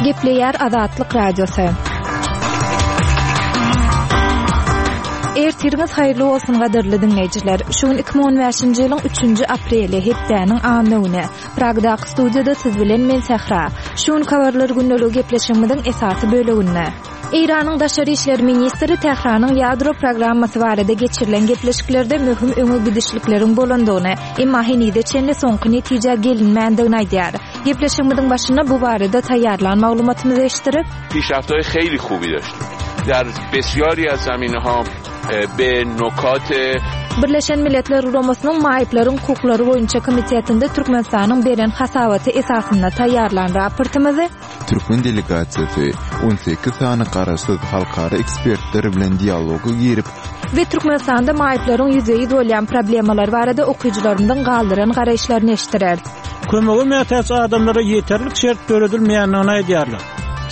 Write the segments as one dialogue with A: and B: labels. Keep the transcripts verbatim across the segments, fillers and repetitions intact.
A: Gepleýär Azatlyk Radiosy. Ertiriňiz haýyrly bolsun gadyrly diňleýjiler. Şu gün iki müň on bäşinji ýylyň üçünji apreli, hepdäniň anna güni. Pragdaky studiýada siz bilen men Sähra. Şu gün habarlar gündeligi gepleşigimiziň esasy böleginde. Eýranyň daşary işler ministri Tähranyň ýadro programmasy barada geçirilen gepleşiklerde möhüm öňe gidişlikleriň bolandygyny, emma henize çenli soňky netijä gelinmändigini aýdýar. Gepleşigimiziň başynda bu barada taýýarlan maglumatymyzy eşitdirip,
B: پیشرفت‌های خیلی خوبی داشتیم. در بسیاری از زمینه‌ها به نکات
A: Birleşen Milletler Guramasynyň Maýyplaryň hukuklary boýunça komitetinde Türkmenistanyň beren hasabaty esasynda taýýarlan raportymyzy
C: Türkmen delegasiýasy on sekiz sany garaşsyz halkara ekspertler bilen dialoga girip
A: we Türkmenistanda maýyplaryň ýüzbe-ýüz bolýan problemalar barada okyjylarymyzyň galdyran garaýyşlaryny eşitdirer.
D: Kömege mätäç adamlara ýeterlik şert döredilmeýändigini aýdýarlar.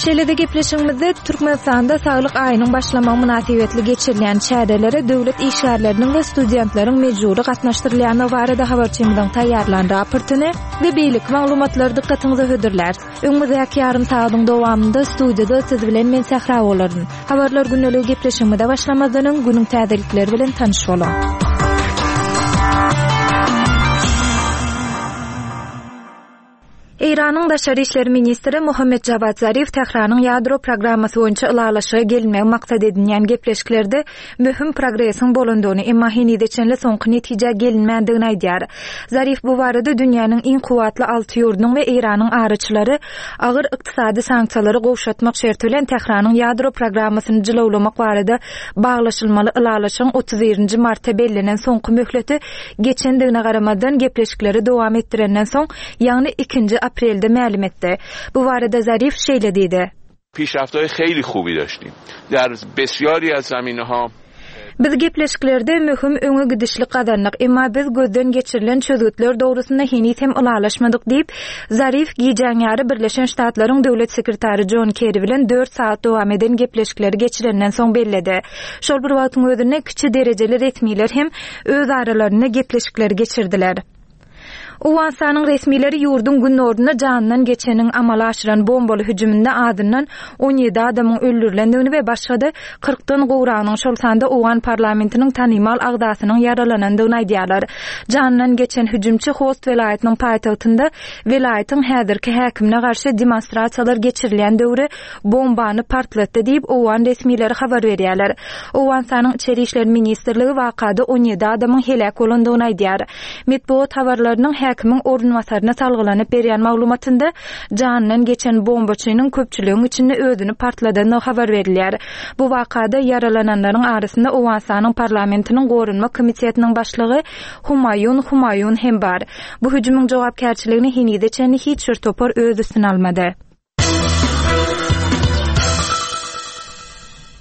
A: Şeýle-de gepleşigimizde Türkmenistanda saglyk aýynyň başlamagy mynasybetli geçirilýän çärelere döwlet işgärleriniň we studentleriň mejbury gatnaşdyrylýandygy barada habarçymyzyň taýýarlan raportyny we beýleki maglumatlary dykgatyňyza hödürler. Öňümizdäki ýarym sagatyň dowamynda studiýada siz bilen men Sähra bolaryn. Habarlar gündeligi gepleşigimize başlamazdan öň günüň täzelikleri bilen tanyş boluň. Eýranyň daşary işler ministri Muhammed Javad Zarif Tähranyň ýadro programmasy boýunça ylalaşyga gelmegi maksat edinýän gepleşiklerde möhüm progresiň bolandygyny, emma henize çenli soňky netijä gelinmändigini aýdýar. Zarif bu barada dünýäniň iň kuwwatly alty ýurdunyň we Eýranyň araçylary agyr ykdysady sanksiýalary gowşatmak şerti bilen Tähranyň ýadro programmasyny jylawlamak barada baglaşylmaly ylalaşygyň otuz birinji martda bellenen soňky möhleti geçendigine garamazdan gepleşikleri dowam etdirenden soň, ýagny ikinji aprelde mälim etdi. Bu barada Zarif şeýle diýdi.
B: پیشرفت‌های خیلی خوبی داشتیم. در بسیاری از زمینه‌ها
A: Biz gepleşiklerde möhüm öňe gidişlik gazandyk, emma biz gözden geçirilen çözgütler dogrusynda heniz hem ylalaşmadyk diýip, Zarif gijäň ýary Birleşen Ştatlaryň döwlet sekretary John Kerry bilen dört saat dowam eden gepleşikleri geçirenden soň belledi. Şol bir wagtyň özünde kiçi derejeli resmiler hem öz aralarynda gepleşikleri geçirdiler. Owganystanyň resmileri ýurduň günorunda jandan geçeniň amala aşyran bombaly hüjüminde adyndan on ýedi adamyň öldürilendigini we başga-da kyrkdan gowragynyň şol sanda Owgan parlamentiniň tanymal agzasynyň ýaralanandygyny aýdýarlar. Jandan geçen hüjümçi Host welaýatynyň paýtagtynda welaýatyň häzirki häkimine garşy demonstrasiýalar geçirilýän döwri bombany partlatdy diýip Owgan resmileri habar berýärler. Owganystanyň Içeri işler ministrligi wakada on ýedi adamyň heläk bolandygyny aýdýar. Metbugat habarlarynyň häkimiň orunbasaryna salgylanyp berýän maglumatynda jandan geçen bombaçynyň köpçüligiň içinde özüni partladandygy habar berilýär. Bu wakada ýaralananlaryň arasynda Owganystanyň parlamentiniň gorunma komitetiniň başlygy Humayun Humayun hem bar. Bu hüjümiň jogapkärçiligini henize çenli hiç bir topar öz üstüne almady.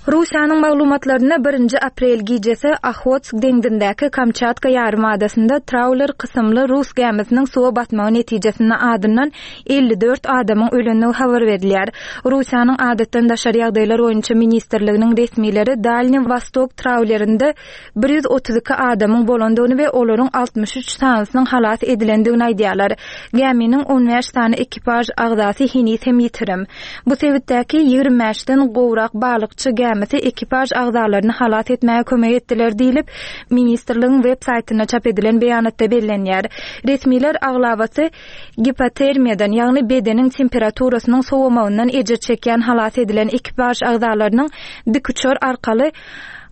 A: Russiýanyň maglumatlaryna birinji aprel gijesi Ahotsk deňzindäki Kamçatka ýarym adasynda trawler kysymly Rus gämisiniň suwa batmagy netijesinde adyndan elli dört adamyň ölendigi habar berilýär. Russiýanyň adatdan daşary ýagdaýlar boýunça ministrliginiň resmileri Dalny Vostok trawlerinde bir ýüz otuz iki adamyň bolandygyny we olaryň altmyş üç sanysynyň halas edilendigini aýdýarlar. Gäminiň on bäş sany ekipaž agzasy heniz hem ýitirim. Bu sebitdäki ýigrimi bäşden gowrak balykçy gämisi ekipaž agzalaryny halas etmäge kömek etdiler diýlip, ministrligiň web saýtynda çap edilen beýanatda bellenýär. Resmiler aglabasy gipotermiýadan, ýagny bedeniň temperaturasynyň sowamagyndan ejir çekýän halas edilen ekipaž agzalarynyň dikuçar arkaly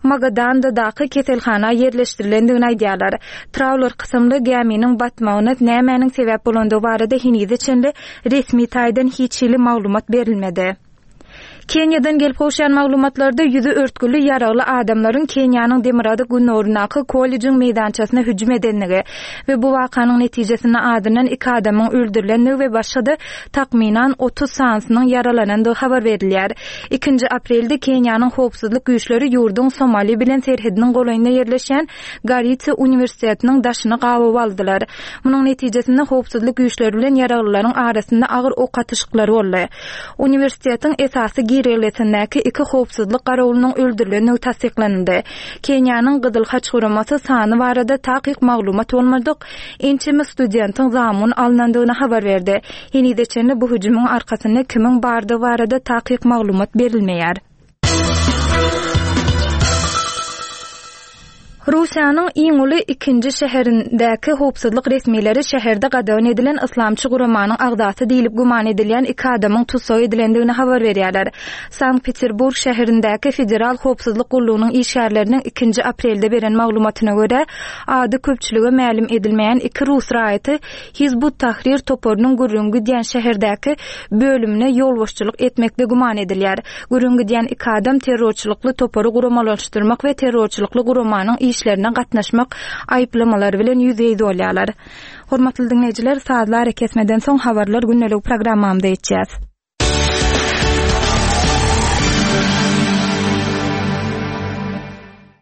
A: Magadandadaky keselhana ýerleşdirilendigini aýdýarlar. Trawler kysymly gäminiň batmagyna nämäniň sebäp bolandygy barada henize çenli resmi taýdan hiç hili maglumat berilmedi. Kenýadan gelip gowşan maglumatlarda ýüzi örtgüli ýaragly adamlaryň Kenýanyň demirgazyk günorundaky kollejiň meýdançasyna hüjüm edenligi we bu wakanyň netijesinde adyndan iki adamyň öldürilenligi we başga-da takmynan otuz sanysynyň ýaralanandygy habar berilýär. Ikinji aprelde Kenýanyň howpsuzlyk güýçleri ýurduň Somali bilen serhediniň golaýynda ýerleşen Garissa uniwersitetiniň daşyny gabyp aldylar. Munuň netijesinde howpsuzlyk güýçleri bilen ýaraglylaryň arasynda agyr ok atyşyklary boldy. Uniwersitetiň esasy girelgesindäki iki howpsuzlyk garawulynyň öldürilendigi tassyklanyldy. Keniýanyň Gyzyl Haç guramasy sany barada takyk maglumat bolmadyk ençeme studentiň zamun alnandygyny habar berdi. Henize çenli bu hüjümiň arkasynda kimiň bardygy barada takyk maglumat berilmeýär. Russiýanyň iň uly ikinji şäherindäki howpsuzlyk resmileri şäherde gadagan edilen yslamçy guramanyň agzasy diýlip güman edilýän iki adamyň tussag edilendigini habar berýärler. Sankt-Peterburg şäherindäki Federal howpsuzlyk gullugynyň işgärleriniň ikinji aprelde beren maglumatyna görä, ady köpçülige mälim edilmeýän iki rus raýaty Hizb ut-Tahrir toparynyň gürrüňi gidýän şäherdäki bölümine ýolbaşçylyk etmekde güman edilýär. Gürrüňi gidýän iki adam terrorçylykly topary guramalaşdyrmak we terrorçylykly guramanyň işlerine gatnaşmak aýyplamalary bilen ýüzbe-ýüz bolýarlar. Hormatly diňleýjiler, sazly arakesmeden soň habarlar gündelik programmamyza geçýäs.